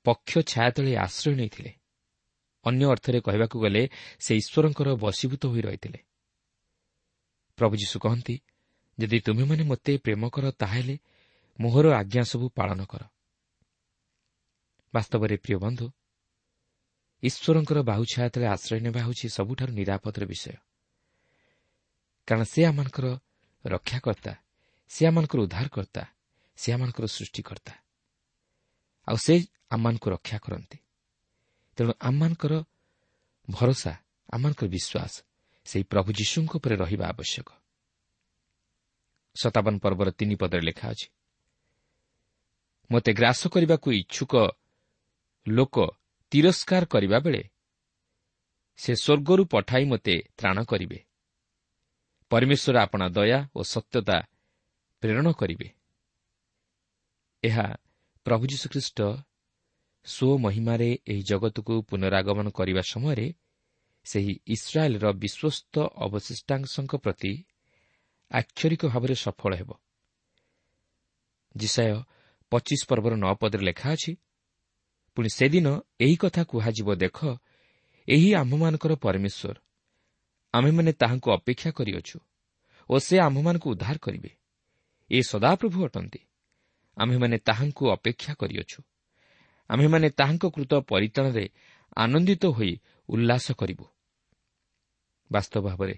ପକ୍ଷ ଛାୟା ତଳେ ଆଶ୍ରୟ ନେଇଥିଲେ। ଅନ୍ୟ ଅର୍ଥରେ କହିବାକୁ ଗଲେ ସେ ଈଶ୍ୱରଙ୍କର ବଶୀଭୂତ ହୋଇ ରହିଥିଲେ। ପ୍ରଭୁ ଯୀଶୁ କହନ୍ତି, ଯଦି ତୁମେମାନେ ମୋତେ ପ୍ରେମ କର, ତାହେଲେ ମୋହର ଆଜ୍ଞା ସବୁ ପାଳନ କର। ବାସ୍ତବରେ ପ୍ରିୟ ବନ୍ଧୁ, ଈଶ୍ୱରଙ୍କର ବାହୁ ଛାୟା ତଳେ ଆଶ୍ରୟ ନେବା ହେଉଛି ସବୁଠାରୁ ନିରାପଦର ବିଷୟ, କାରଣ ସେ ଆମମାନଙ୍କର ରକ୍ଷାକର୍ତ୍ତା, ସେ ଆମମାନଙ୍କର ଉଦ୍ଧାରକର୍ତ୍ତା, ସେ ଆମମାନଙ୍କର ସୃଷ୍ଟିକର୍ତ୍ତା, ଆଉ ସେ ଆମମାନଙ୍କୁ ରକ୍ଷା କରନ୍ତି। ତେଣୁ ଆମମାନଙ୍କର ଭରସା, ଆମମାନଙ୍କର ବିଶ୍ୱାସ ସେହି ପ୍ରଭୁ ଯୀଶୁଙ୍କ ଉପରେ ରହିବା ଆବଶ୍ୟକ। ସତାବନ ପର୍ବର ତିନି ପଦରେ ଲେଖା ଅଛି, ମୋତେ ଗ୍ରାସ କରିବାକୁ ଇଚ୍ଛୁକ ଲୋକ ତିରସ୍କାର କରିବା ବେଳେ ସେ ସ୍ୱର୍ଗରୁ ପଠାଇ ମୋତେ ତ୍ରାଣ କରିବେ। ପରମେଶ୍ୱର ଆପଣା ଦୟା ଓ ସତ୍ୟତା ପ୍ରେରଣ କରିବେ। ଏହା ପ୍ରଭୁ ଯୀଶୁଖ୍ରୀଷ୍ଟ ସ୍ୱମହିମାରେ ଏହି ଜଗତକୁ ପୁନରାଗମନ କରିବା ସମୟରେ ସେହି ଇସ୍ରାଏଲ୍ର ବିଶ୍ୱସ୍ତ ଅବଶିଷ୍ଟାଂଶଙ୍କ ପ୍ରତି ଆକ୍ଷରିକ ଭାବରେ ସଫଳ ହେବ। ଯିଶାଇୟ ପଚିଶ ପର୍ବର ନଅ ପଦରେ ଲେଖା ଅଛି, ପୁଣି ସେଦିନ ଏହି କଥା କୁହାଯିବ, ଦେଖ, ଏହି ଆମ୍ଭମାନଙ୍କର ପରମେଶ୍ୱର, ଆମ୍ଭେମାନେ ତାହାଙ୍କୁ ଅପେକ୍ଷା କରିଅଛୁ ଓ ସେ ଆମ୍ଭମାନଙ୍କୁ ଉଦ୍ଧାର କରିବେ। ଏ ସଦାପ୍ରଭୁ ଅଟନ୍ତି, ଆମ୍ଭେମାନେ ତାହାଙ୍କୁ ଅପେକ୍ଷା କରିଅଛୁ। ଆମ୍ଭେମାନେ ତାହାଙ୍କ କୃତ ପରିତ୍ରାଣରେ ଆନନ୍ଦିତ ହୋଇ ଉଲ୍ଲାସ କରିବୁ। ବାସ୍ତବ ଭାବରେ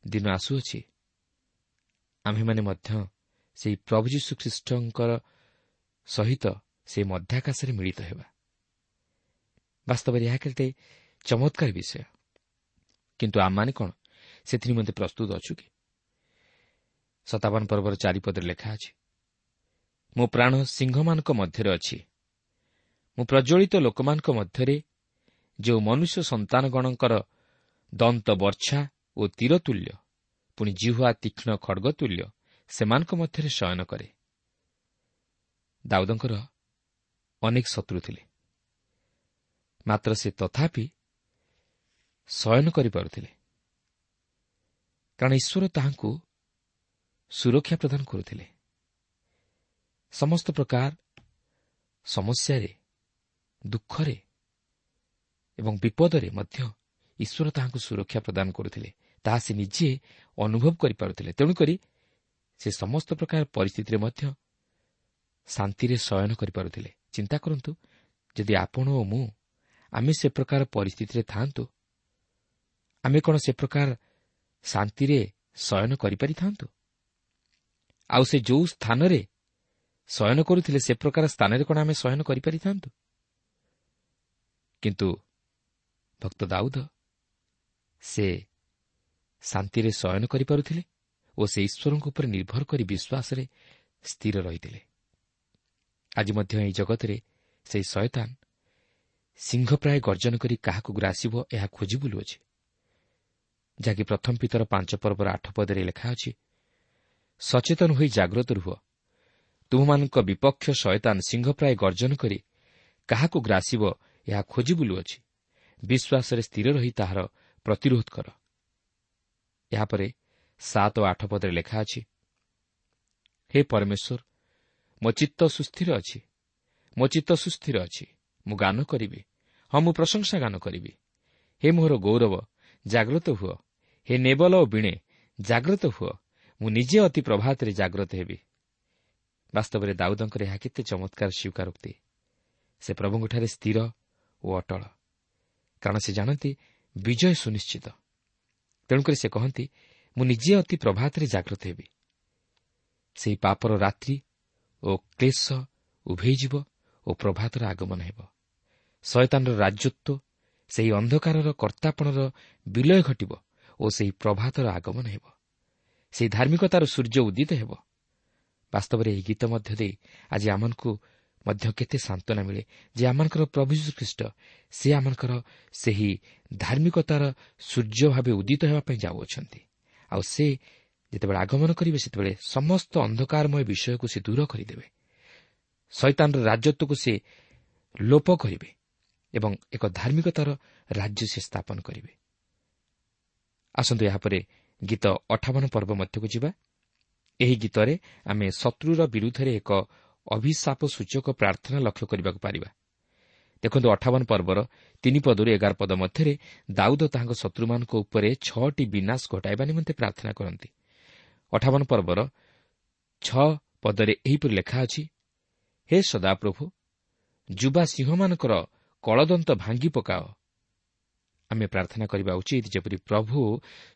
ଦିନ ଆସୁଅଛି, ଆମ୍ଭେମାନେ ମଧ୍ୟ ସେହି ପ୍ରଭୁ ଯୀଶୁଖ୍ରୀଷ୍ଟଙ୍କର ସହିତ ସେ ମଧ୍ୟାକାଶରେ ମିଳିତ ହେବା। ବାସ୍ତବରେ ଏହା କେତେ ଚମତ୍କାର ବିଷୟ। କିନ୍ତୁ ଆମମାନେ କ'ଣ ସେଥି ନିମନ୍ତେ ପ୍ରସ୍ତୁତ ଅଛୁ କି? ସତାବନ ପର୍ବର ଚାରିପଦରେ ଲେଖା ଅଛି, ମୋ ପ୍ରାଣ ସିଂହମାନଙ୍କ ମଧ୍ୟରେ ଅଛି, ମୁଁ ପ୍ରଜ୍ୱଳିତ ଲୋକମାନଙ୍କ ମଧ୍ୟରେ, ଯେଉଁ ମନୁଷ୍ୟ ସନ୍ତାନଗଣଙ୍କର ଦନ୍ତ ବର୍ଚ୍ଛା ଓ ତୀର ତୁଲ୍ୟ, ପୁଣି ଜିହ୍ୱା ତୀକ୍ଷ୍ଣ ଖଡ଼ଗ ତୁଲ୍ୟ, ସେମାନଙ୍କ ମଧ୍ୟରେ ଶୟନ କରେ। ଦାଉଦଙ୍କର ଅନେକ ଶତ୍ରୁ ଥିଲେ, ମାତ୍ର ସେ ତଥାପି ଶୟନ କରିପାରୁଥିଲେ, କାରଣ ଈଶ୍ୱର ତାହାଙ୍କୁ ସୁରକ୍ଷା ପ୍ରଦାନ କରୁଥିଲେ। ସମସ୍ତ ପ୍ରକାର ସମସ୍ୟାରେ, ଦୁଃଖରେ ଏବଂ ବିପଦରେ ମଧ୍ୟ ଈଶ୍ୱର ତାହାଙ୍କୁ ସୁରକ୍ଷା ପ୍ରଦାନ କରୁଥିଲେ। ତାହା ସେ ନିଜେ ଅନୁଭବ କରିପାରୁଥିଲେ। ତେଣୁକରି ସେ ସମସ୍ତ ପ୍ରକାର ପରିସ୍ଥିତିରେ ମଧ୍ୟ ଶାନ୍ତିରେ ଶୟନ କରିପାରୁଥିଲେ। ଚିନ୍ତା କରନ୍ତୁ, ଯଦି ଆପଣ ଓ ମୁଁ ଆମେ ସେ ପ୍ରକାର ପରିସ୍ଥିତିରେ ଥାଆନ୍ତୁ, ଆମେ କ'ଣ ସେ ପ୍ରକାର ଶାନ୍ତିରେ ଶୟନ କରିପାରିଥାନ୍ତୁ? ଆଉ ସେ ଯେଉଁ ସ୍ଥାନରେ ଶୟନ କରୁଥିଲେ ସେ ପ୍ରକାର ସ୍ଥାନରେ କ'ଣ ଆମେ ଶୟନ କରିପାରିଥାନ୍ତୁ? କିନ୍ତୁ ଭକ୍ତ ଦାଉଦ ସେ ଶାନ୍ତିରେ ଶୟନ କରିପାରୁଥିଲେ ଓ ସେ ଈଶ୍ୱରଙ୍କ ଉପରେ ନିର୍ଭର କରି ବିଶ୍ୱାସରେ ସ୍ଥିର ରହିଥିଲେ। ଆଜି ମଧ୍ୟ ଏହି ଜଗତରେ ସେହି ଶୟତାନ ସିଂହ ପ୍ରାୟ ଗର୍ଜନ କରି କାହାକୁ ଗ୍ରାସିବ ଏହା ଖୋଜି ବୁଲୁଅଛି, ଯାହାକି ପ୍ରଥମ ପିତର ପାଞ୍ଚ ପର୍ବର ଆଠ ପଦରେ ଲେଖା ଅଛି, ସଚେତନ ହୋଇ ଜାଗ୍ରତ ରୁହ, ତୁମମାନଙ୍କ ବିପକ୍ଷ ଶୟତାନ ସିଂହ ପ୍ରାୟ ଗର୍ଜନ କରି କାହାକୁ ଗ୍ରାସିବ ଏହା ଖୋଜି ବୁଲୁଅଛି, ବିଶ୍ୱାସରେ ସ୍ଥିର ରହି ତାହାର ପ୍ରତିରୋଧ କର। ଏହାପରେ ସାତ ଓ ଆଠ ପଦରେ ଲେଖା ଅଛି, ହେ ପରମେଶ୍ୱର, ମୋ ଚିତ୍ତ ସୁସ୍ଥିର ଅଛି, ମୋ ଚିତ୍ତ ସୁସ୍ଥିର ଅଛି, ମୁଁ ଗାନ କରିବି, ହଁ ମୁଁ ପ୍ରଶଂସା ଗାନ କରିବି। ହେ ମୋହର ଗୌରବ, ଜାଗ୍ରତ ହୁଅ, ହେ ନେବଲ ଓ ବୀଣେ, ଜାଗ୍ରତ ହୁଅ, ମୁଁ ନିଜେ ଅତି ପ୍ରଭାତରେ ଜାଗ୍ରତ ହେବି। ବାସ୍ତବରେ ଦାଉଦଙ୍କର ଏହା କେତେ ଚମତ୍କାର ସ୍ୱୀକାରୋକ୍ତି। ସେ ପ୍ରଭୁଙ୍କଠାରେ ସ୍ଥିର ଓ ଅଟଳ, କାରଣ ସେ ଜାଣନ୍ତି ବିଜୟ ସୁନିଶ୍ଚିତ। ତେଣୁକରି ସେ କହନ୍ତି, ମୁଁ ନିଜେ ଅତି ପ୍ରଭାତରେ ଜାଗ୍ରତ ହେବି। ସେହି ପାପର ରାତ୍ରି ଓ କ୍ଲେଶ ଉଭେଇଯିବ ଓ ପ୍ରଭାତର ଆଗମନ ହେବ। ଶୟତାନର ରାଜତ୍ୱ, ସେହି ଅନ୍ଧକାରର କର୍ତ୍ତାପଣର ବିଲୟ ଘଟିବ ଓ ସେହି ପ୍ରଭାତର ଆଗମନ ହେବ। ସେହି ଧାର୍ମିକତାର ସୂର୍ଯ୍ୟ ଉଦିତ ହେବ। ବାସ୍ତବରେ ଏହି ଗୀତ ମଧ୍ୟ ଦେଇ ଆଜି ଆମମାନଙ୍କୁ ମଧ୍ୟ କେତେ ସାନ୍ତ୍ୱନା ମିଳେ ଯେ ଆମମାନଙ୍କର ପ୍ରଭୁ ଯୀଶୁଖ୍ରୀଷ୍ଟ ସେ ଆମମାନଙ୍କର ସେହି ଧାର୍ମିକତାର ସୂର୍ଯ୍ୟ ଭାବେ ଉଦିତ ହେବା ପାଇଁ ଯାଉଅଛନ୍ତି। ଆଉ ସେ ଯେତେବେଳେ ଆଗମନ କରିବେ, ସେତେବେଳେ ସମସ୍ତ ଅନ୍ଧକାରମୟ ବିଷୟକୁ ସେ ଦୂର କରିଦେବେ। ଶୟତାନର ରାଜତ୍ୱକୁ ସେ ଲୋପ କରିବେ ଏବଂ ଏକ ଧାର୍ମିକତାର ରାଜ୍ୟ ସେ ସ୍ଥାପନ କରିବେ। ଆସନ୍ତୁ ଏହାପରେ ଗୀତ ଅଠାବନ ପର୍ବ ମଧ୍ୟକୁ ଯିବା। ଏହି ଗୀତରେ ଆମେ ଶତ୍ରୁର ବିରୁଦ୍ଧରେ ଏକ ଅଭିଶାପ ସୂଚକ ପ୍ରାର୍ଥନା ଲକ୍ଷ୍ୟ କରିବାକୁ ପାରିବା। ଦେଖନ୍ତୁ, ଅଠାବନ ପର୍ବର ତିନି ପଦରୁ ଏଗାର ପଦ ମଧ୍ୟରେ ଦାଉଦ ତାହାଙ୍କ ଶତ୍ରୁମାନଙ୍କ ଉପରେ ଛଅଟି ବିନାଶ ଘଟାଇବା ନିମନ୍ତେ ପ୍ରାର୍ଥନା କରନ୍ତି। ଅଠାବନ ପର୍ବର ଛଅ ପଦରେ ଏହିପରି ଲେଖା ଅଛି, ହେ ସଦାପ୍ରଭୁ, ଯୁବା ସିଂହମାନଙ୍କର କଳଦନ୍ତ ଭାଙ୍ଗି ପକାଅ। ଆମେ ପ୍ରାର୍ଥନା କରିବା ଉଚିତ ଯେପରି ପ୍ରଭୁ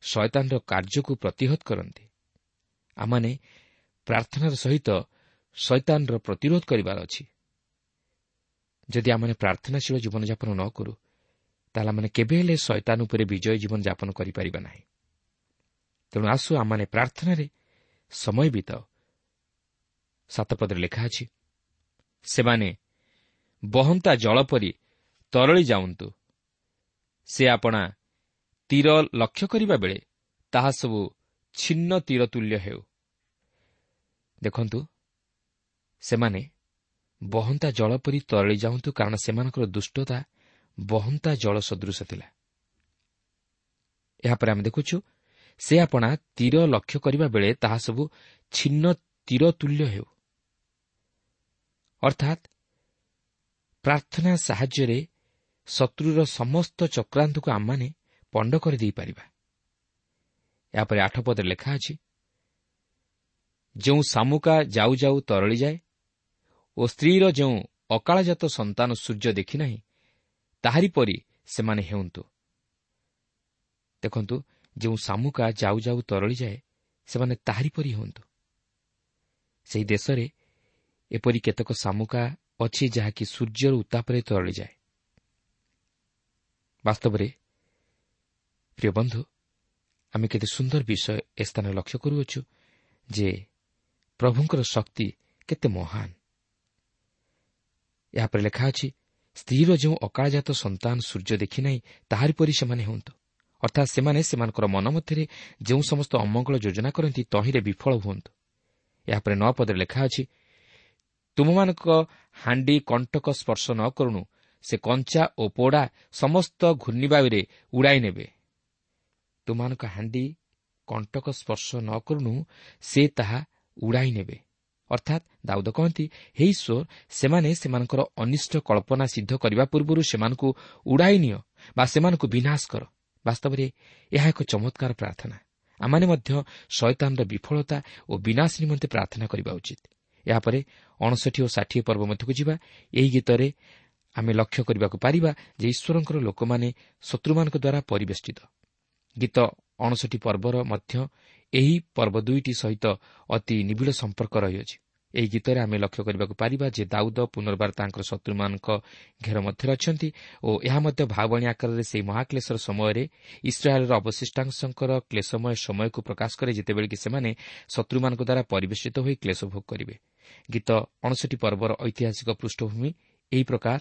ଶୟତାନର କାର୍ଯ୍ୟକୁ ପ୍ରତିହତ କରନ୍ତି। ଆମମାନେ ପ୍ରାର୍ଥନାର ସହିତ ଶୟତାନର ପ୍ରତିରୋଧ କରିବାର ଅଛି। ଯଦି ଆମମାନେ ପ୍ରାର୍ଥନାଶୀଳ ଜୀବନଯାପନ ନ କରୁ, ତାହେଲେ ଆମମାନେ କେବେ ହେଲେ ଶୟତାନ ଉପରେ ବିଜୟ ଜୀବନଯାପନ କରିପାରିବା ନାହିଁ। ତେଣୁ ଆସୁ ଆମମାନେ ପ୍ରାର୍ଥନାରେ ସମୟ ବିତାଉ। ସାତ ପଦରେ ଲେଖା ଅଛି, ସେମାନେ ବହନ୍ତା ଜଳ ପରି ତରଳି ଯାଉନ୍ତୁ, ସେ ଆପଣା ତୀର ଲକ୍ଷ୍ୟ କରିବା ବେଳେ ତାହା ସବୁ ଛିନ୍ନ ତୀର ତୁଲ୍ୟ ହେଉ। ଦେଖନ୍ତୁ, ସେମାନେ ବହନ୍ତା ଜଳ ପରି ତରଳି ଯାଉନ୍ତୁ, କାରଣ ସେମାନଙ୍କର ଦୁଷ୍ଟତା ବହନ୍ତା ଜଳ ସଦୃଶ ଥିଲା। ଏହାପରେ ଆମେ ଦେଖୁଛୁ, ସେ ଆପଣା ତୀର ଲକ୍ଷ୍ୟ କରିବା ବେଳେ ତାହା ସବୁ ଛିନ୍ନ ତୀର ତୁଲ୍ୟ ହେଉ। ଅର୍ଥାତ୍ ପ୍ରାର୍ଥନା ସାହାଯ୍ୟରେ ଶତ୍ରୁର ସମସ୍ତ ଚକ୍ରାନ୍ତକୁ ଆମମାନେ ପଣ୍ଡ କରିଦେଇପାରିବା। ଏହାପରେ ଆଠ ପଦରେ ଲେଖା ଅଛି, ଯେଉଁ ଶାମୁକା ଯାଉ ଯାଉ ତରଳିଯାଏ ଓ ସ୍ତ୍ରୀର ଯେଉଁ ଅକାଳଜାତ ସନ୍ତାନ ସୂର୍ଯ୍ୟ ଦେଖିନାହିଁ, ତାହାରି ପରି ସେମାନେ ହେଉନ୍ତୁ। ଦେଖନ୍ତୁ, ଯେଉଁ ଶାମୁକା ଯାଉ ଯାଉ ତରଳିଯାଏ ସେମାନେ ତାହାରି ପରି ହୁଅନ୍ତୁ। ସେହି ଦେଶରେ ଏପରି କେତେକ ଶାମୁକା ଅଛି ଯାହାକି ସୂର୍ଯ୍ୟର ଉତ୍ତାପରେ ତରଳିଯାଏ। ବାସ୍ତବରେ ପ୍ରିୟ ବନ୍ଧୁ, ଆମେ କେତେ ସୁନ୍ଦର ବିଷୟ ଏ ସ୍ଥାନରେ ଲକ୍ଷ୍ୟ କରୁଅଛୁ ଯେ ପ୍ରଭୁଙ୍କର ଶକ୍ତି କେତେ ମହାନ। ଏହାପରେ ଲେଖା ଅଛି, ସ୍ତ୍ରୀର ଯେଉଁ ଅକାଳଜାତ ସନ୍ତାନ ସୂର୍ଯ୍ୟ ଦେଖିନାହିଁ, ତାହାରି ପରି ସେମାନେ ହୁଅନ୍ତୁ। ଅର୍ଥାତ୍ ସେମାନେ ସେମାନଙ୍କର ମନ ମଧ୍ୟରେ ଯେଉଁ ସମସ୍ତ ଅମଙ୍ଗଳ ଯୋଜନା କରନ୍ତି ତହିଁରେ ବିଫଳ ହୁଅନ୍ତୁ। ଏହାପରେ ନଅ ପଦରେ ଲେଖା ଅଛି, ତୁମମାନଙ୍କ ହାଣ୍ଡି କଣ୍ଟକ ସ୍ପର୍ଶ ନ କରୁଣୁ, ସେ କଞ୍ଚା ଓ ପୋଡ଼ା ସମସ୍ତ ଘୂର୍ଣ୍ଣିବାୟୁରେ ଉଡ଼ାଇ ନେବେ। ତୁମମାନଙ୍କ ହାଣ୍ଡି କଣ୍ଟକ ସ୍ପର୍ଶ ନ କରୁଣୁ, ସେ ତାହା ଉଡ଼ାଇ ନେବେ। ଅର୍ଥାତ୍ ଦାଉଦ କହନ୍ତି, ହେ ଈଶ୍ୱର, ସେମାନେ ସେମାନଙ୍କର ଅନିଷ୍ଟ କଳ୍ପନା ସିଦ୍ଧ କରିବା ପୂର୍ବରୁ ସେମାନଙ୍କୁ ଉଡ଼ାଇ ନିଅ ବା ସେମାନଙ୍କୁ ବିନାଶ କର। ବାସ୍ତବରେ ଏହା ଏକ ଚମତ୍କାର ପ୍ରାର୍ଥନା। ଆମମାନେ ମଧ୍ୟ ଶୟତାନର ବିଫଳତା ଓ ବିନାଶ ନିମନ୍ତେ ପ୍ରାର୍ଥନା କରିବା ଉଚିତ। ଏହାପରେ ଅଣଷଠି ଓ ଷାଠିଏ ପର୍ବ ମଧ୍ୟକୁ ଯିବା। ଏହି ଗୀତରେ ଆମେ ଲକ୍ଷ୍ୟ କରିବାକୁ ପାରିବା ଯେ ଈଶ୍ୱରଙ୍କର ଲୋକମାନେ ଶତ୍ରୁମାନଙ୍କ ଦ୍ୱାରା ପରିବେଷ୍ଟିତ। ଗୀତ ଅଣଷଠି ପର୍ବର ମଧ୍ୟ ଏହି ପର୍ବ ଦୁଇଟି ସହିତ ଅତି ନିବିଡ଼ ସମ୍ପର୍କ ରହିଅଛି। ଏହି ଗୀତରେ ଆମେ ଲକ୍ଷ୍ୟ କରିବାକୁ ପାରିବା ଯେ ଦାଉଦ ପୁନର୍ବାର ତାଙ୍କର ଶତ୍ରୁମାନଙ୍କ ଘେର ମଧ୍ୟରେ ଅଛନ୍ତି ଓ ଏହା ମଧ୍ୟ ଭାବବାଣୀ ଆକାରରେ ସେହି ମହାକ୍ଲେଶର ସମୟରେ ଇସ୍ରାଏଲର ଅବଶିଷ୍ଟାଂଶଙ୍କର କ୍ଲେଶମୟ ସମୟକୁ ପ୍ରକାଶ କରେ, ଯେତେବେଳେ କି ସେମାନେ ଶତ୍ରୁମାନଙ୍କ ଦ୍ୱାରା ପରିବେଷ୍ଟିତ ହୋଇ କ୍ଲେଶ ଭୋଗ କରିବେ। ଗୀତ ଅଣଷଠି ପର୍ବର ଐତିହାସିକ ପୃଷ୍ଠଭୂମି ଏହି ପ୍ରକାର।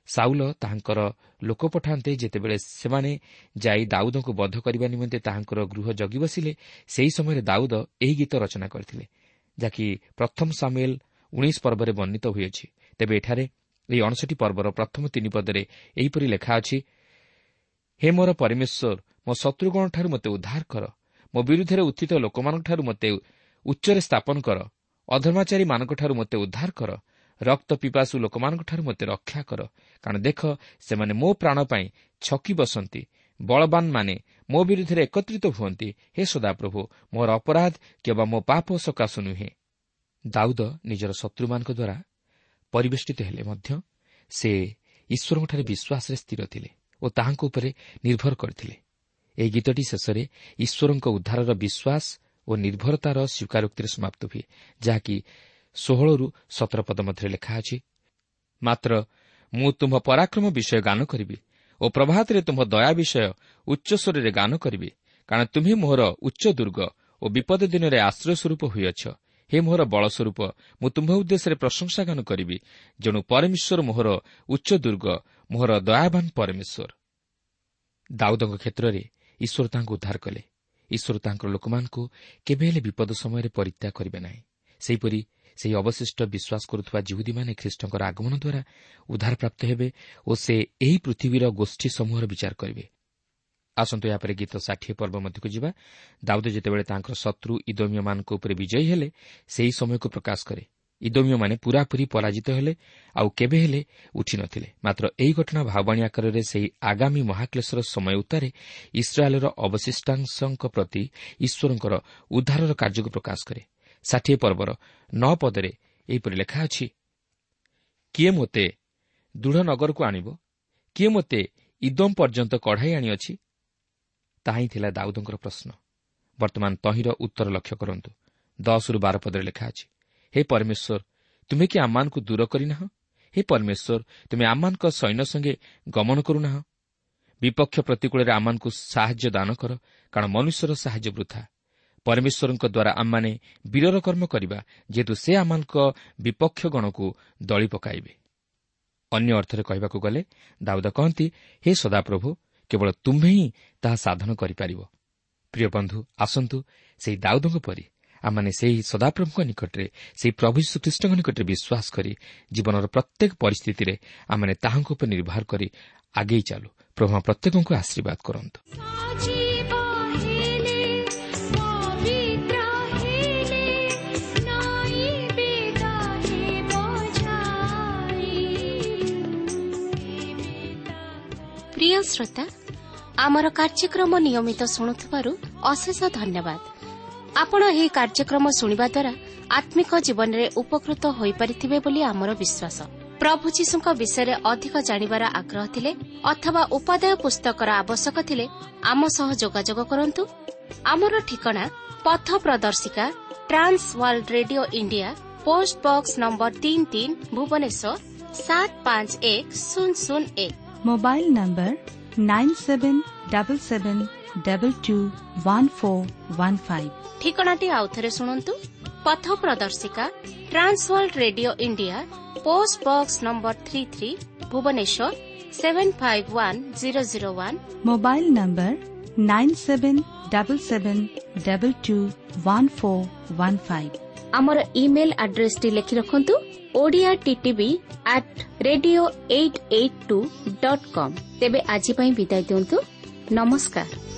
ସାଉଲ ତାହାଙ୍କର ଲୋକ ପଠାନ୍ତେ, ଯେତେବେଳେ ସେମାନେ ଯାଇ ଦାଉଦଙ୍କୁ ବଧ କରିବା ନିମନ୍ତେ ତାହାଙ୍କର ଗୃହ ଜଗି ବସିଲେ, ସେହି ସମୟରେ ଦାଉଦ ଏହି ଗୀତ ରଚନା କରିଥିଲେ, ଯାହାକି ପ୍ରଥମ ସାମୁଏଲ ଉଣେଇଶ ପର୍ବରେ ବର୍ଣ୍ଣିତ ହୋଇଅଛି। ତେବେ ଏଠାରେ ଏହି ଅଣଷଠି ପର୍ବର ପ୍ରଥମ ତିନି ପଦରେ ଏହିପରି ଲେଖା ଅଛି, ହେ ମୋର ପରମେଶ୍ୱର, ମୋ ଶତ୍ରୁଗଣଠାରୁ ମୋତେ ଉଦ୍ଧାର କର, ମୋ ବିରୁଦ୍ଧରେ ଉତ୍ଥିତ ଲୋକମାନଙ୍କଠାରୁ ମୋତେ ଉଚ୍ଚରେ ସ୍ଥାପନ କର, ଅଧର୍ମାଚାରୀମାନଙ୍କଠାରୁ ମୋତେ ଉଦ୍ଧାର କର, ରକ୍ତ ପିପାସୁ ଲୋକମାନଙ୍କଠାରୁ ମୋତେ ରକ୍ଷା କର। କାରଣ ଦେଖ, ସେମାନେ ମୋ ପ୍ରାଣ ପାଇଁ ଛକି ବସନ୍ତି, ବଳବାନମାନେ ମୋ ବିରୁଦ୍ଧରେ ଏକତ୍ରିତ ହୁଅନ୍ତି। ହେ ସଦାପ୍ରଭୁ, ମୋର ଅପରାଧ କିମ୍ବା ମୋ ପାପ ସକାଶୁ ନୁହେଁ। ଦାଉଦ ନିଜର ଶତ୍ରୁମାନଙ୍କ ଦ୍ୱାରା ପରିବେଷ୍ଟିତ ହେଲେ ମଧ୍ୟ ସେ ଈଶ୍ୱରଙ୍କଠାରେ ବିଶ୍ୱାସରେ ସ୍ଥିର ଥିଲେ ଓ ତାହାଙ୍କ ଉପରେ ନିର୍ଭର କରିଥିଲେ। ଏହି ଗୀତଟି ଶେଷରେ ଈଶ୍ୱରଙ୍କ ଉଦ୍ଧାରର ବିଶ୍ୱାସ ଓ ନିର୍ଭରତାର ସ୍ୱୀକାରୋକ୍ତିରେ ସମାପ୍ତ ହୁଏ, ଯାହାକି ଷୋହଳରୁ ସତର ପଦ ମଧ୍ୟରେ ଲେଖା ଅଛି, ମାତ୍ର ମୁଁ ତୁମ୍ଭ ପରାକ୍ରମ ବିଷୟ ଗାନ କରିବି ଓ ପ୍ରଭାତରେ ତୁମ୍ଭ ଦୟା ବିଷୟ ଉଚ୍ଚସ୍ୱରରେ ଗାନ କରିବି। କାରଣ ତୁମ୍ଭେ ମୋହର ଉଚ୍ଚ ଦୁର୍ଗ ଓ ବିପଦ ଦିନରେ ଆଶ୍ରୟ ସ୍ୱରୂପ ହୋଇଅଛ। ହେ ମୋହର ବଳ ସ୍ୱରୂପ, ମୁଁ ତୁମ୍ଭ ଉଦ୍ଦେଶ୍ୟରେ ପ୍ରଶଂସା ଗାନ କରିବି। ଯେଣୁ ପରମେଶ୍ୱର ମୋହର ଉଚ୍ଚ ଦୁର୍ଗ, ମୋହର ଦୟାବାନ ପରମେଶ୍ୱର। ଦାଉଦଙ୍କ କ୍ଷେତ୍ରରେ ଈଶ୍ୱର ତାହାଙ୍କୁ ଉଦ୍ଧାର କଲେ। ଈଶ୍ୱର ତାଙ୍କର ଲୋକମାନଙ୍କୁ କେବେ ହେଲେ ବିପଦ ସମୟରେ ପରିତ୍ୟାଗ କରିବେ ନାହିଁ। ସେହିପରି ସେହି ଅବଶିଷ୍ଟ ବିଶ୍ୱାସ କରୁଥିବା ଯିହୁଦୀମାନେ ଖ୍ରୀଷ୍ଟଙ୍କର ଆଗମନ ଦ୍ୱାରା ଉଦ୍ଧାରପ୍ରାପ୍ତ ହେବେ ଓ ସେ ଏହି ପୃଥିବୀର ଗୋଷ୍ଠୀ ସମୂହର ବିଚାର କରିବେ। ଆସନ୍ତୁ ଏହାପରେ ଗୀତ ଷାଠିଏ ପର୍ବ ମଧ୍ୟକୁ ଯିବା। ଦାଉଦ ଯେତେବେଳେ ତାଙ୍କର ଶତ୍ରୁ ଇଦୋମୀୟମାନଙ୍କ ଉପରେ ବିଜୟୀ ହେଲେ, ସେହି ସମୟକୁ ପ୍ରକାଶ କରେ। ଇଦୋମୀୟମାନେ ପୂରାପୂରି ପରାଜିତ ହେଲେ, ଆଉ କେବେ ହେଲେ ଉଠିନଥିଲେ। ମାତ୍ର ଏହି ଘଟଣା ଭାବବାଣୀ ଆକାରରେ ସେହି ଆଗାମୀ ମହାକ୍ଲେଶର ସମୟ ଉତ୍ତାରେ ଇସ୍ରାଏଲର ଅବଶିଷ୍ଟାଂଶଙ୍କ ପ୍ରତି ଈଶ୍ୱରଙ୍କର ଉଦ୍ଧାରର କାର୍ଯ୍ୟକୁ ପ୍ରକାଶ କରେ। ଷାଠିଏ ପର୍ବର ନଅ ପଦରେ ଏହିପରି ଲେଖା ଅଛି, କିଏ ମୋତେ ଦୃଢ଼ ନଗରକୁ ଆଣିବ? କିଏ ମୋତେ ଇଦୋମ ପର୍ଯ୍ୟନ୍ତ କଢ଼ାଇ ଆଣିଅଛି? ତାହା ହିଁ ଥିଲା ଦାଉଦଙ୍କର ପ୍ରଶ୍ନ। ବର୍ତ୍ତମାନ ତହିଁର ଉତ୍ତର ଲକ୍ଷ୍ୟ କରନ୍ତୁ। ଦଶରୁ ବାର ପଦରେ ଲେଖା ଅଛି, ହେ ପରମେଶ୍ୱର, ତୁମେ କି ଆମମାନଙ୍କୁ ଦୂର କରିନାହ? ହେ ପରମେଶ୍ୱର, ତୁମେ ଆମମାନଙ୍କ ସୈନ୍ୟ ସଙ୍ଗେ ଗମନ କରୁନାହ? ବିପକ୍ଷ ପ୍ରତିକୂଳରେ ଆମମାନଙ୍କୁ ସାହାଯ୍ୟ ଦାନ କର, କାରଣ ମନୁଷ୍ୟର ସାହାଯ୍ୟ ବୃଥା। ପରମେଶ୍ୱରଙ୍କ ଦ୍ୱାରା ଆମମାନେ ବୀରର କର୍ମ କରିବା, ଯେହେତୁ ସେ ଆମମାନଙ୍କ ବିପକ୍ଷ ଗଣକୁ ଦଳି ପକାଇବେ। ଅନ୍ୟ ଅର୍ଥରେ କହିବାକୁ ଗଲେ ଦାଉଦ କହନ୍ତି, ହେ ସଦାପ୍ରଭୁ, କେବଳ ତୁମ୍ଭେ ହିଁ ତାହା ସାଧନ କରିପାରିବ। ପ୍ରିୟ ବନ୍ଧୁ, ଆସନ୍ତୁ ସେହି ଦାଉଦଙ୍କ ପରି ଆମମାନେ ସେହି ସଦାପ୍ରଭୁଙ୍କ ନିକଟରେ, ସେହି ପ୍ରଭୁ ଯୀଶୁଖ୍ରୀଷ୍ଟଙ୍କ ନିକଟରେ ବିଶ୍ୱାସ କରି ଜୀବନର ପ୍ରତ୍ୟେକ ପରିସ୍ଥିତିରେ ଆମମାନେ ତାହାଙ୍କ ଉପରେ ନିର୍ଭର କରି ଆଗେଇ ଚାଲୁ। ପ୍ରଭୁ ପ୍ରତ୍ୟେକଙ୍କୁ ଆଶୀର୍ବାଦ କରନ୍ତୁ। ପ୍ରିୟ ଶ୍ରୋତା, ଆମର କାର୍ଯ୍ୟକ୍ରମ ନିୟମିତ ଶୁଣୁଥିବାରୁ ଅଶେଷ ଧନ୍ୟବାଦ। ଆପଣ ଏହି କାର୍ଯ୍ୟକ୍ରମ ଶୁଣିବା ଦ୍ୱାରା ଆତ୍ମିକ ଜୀବନରେ ଉପକୃତ ହୋଇପାରିଥିବେ ବୋଲି ଆମର ବିଶ୍ୱାସ। ପ୍ରଭୁ ଯୀଶୁଙ୍କ ବିଷୟରେ ଅଧିକ ଜାଣିବାର ଆଗ୍ରହ ଥିଲେ ଅଥବା ଉପାଦେୟ ପୁସ୍ତକର ଆବଶ୍ୟକ ଥିଲେ ଆମ ସହ ଯୋଗାଯୋଗ କରନ୍ତୁ। ଆମର ଠିକଣା ପଥ ପ୍ରଦର୍ଶିକା, Trans World Radio India, post box number ତିନି ତିନି, ଭୁବନେଶ୍ୱର ସାତ ପାଞ୍ଚ ଏକ ଶୂନ ଶୂନ ଏକ। Mobile number nine seven double seven double two one four one five. ଠିକଣାଟି ଆଉଥରେ ଶୁଣନ୍ତୁ। ପଥ ପ୍ରଦର୍ଶିକା, Trans World Radio India, post box number three three, Bhubaneswar seven five one zero zero one. Mobile number nine seven double seven double two one four one five. ଆମର ଇମେଲ୍ ଆଡ୍ରେସଟି ଲେଖି ରଖନ୍ତୁ, Odia TTV at radio eight eight two dot com. ତେବେ ଆଜି ପାଇଁ ବିଦାୟ ଦିଅନ୍ତୁ। ନମସ୍କାର।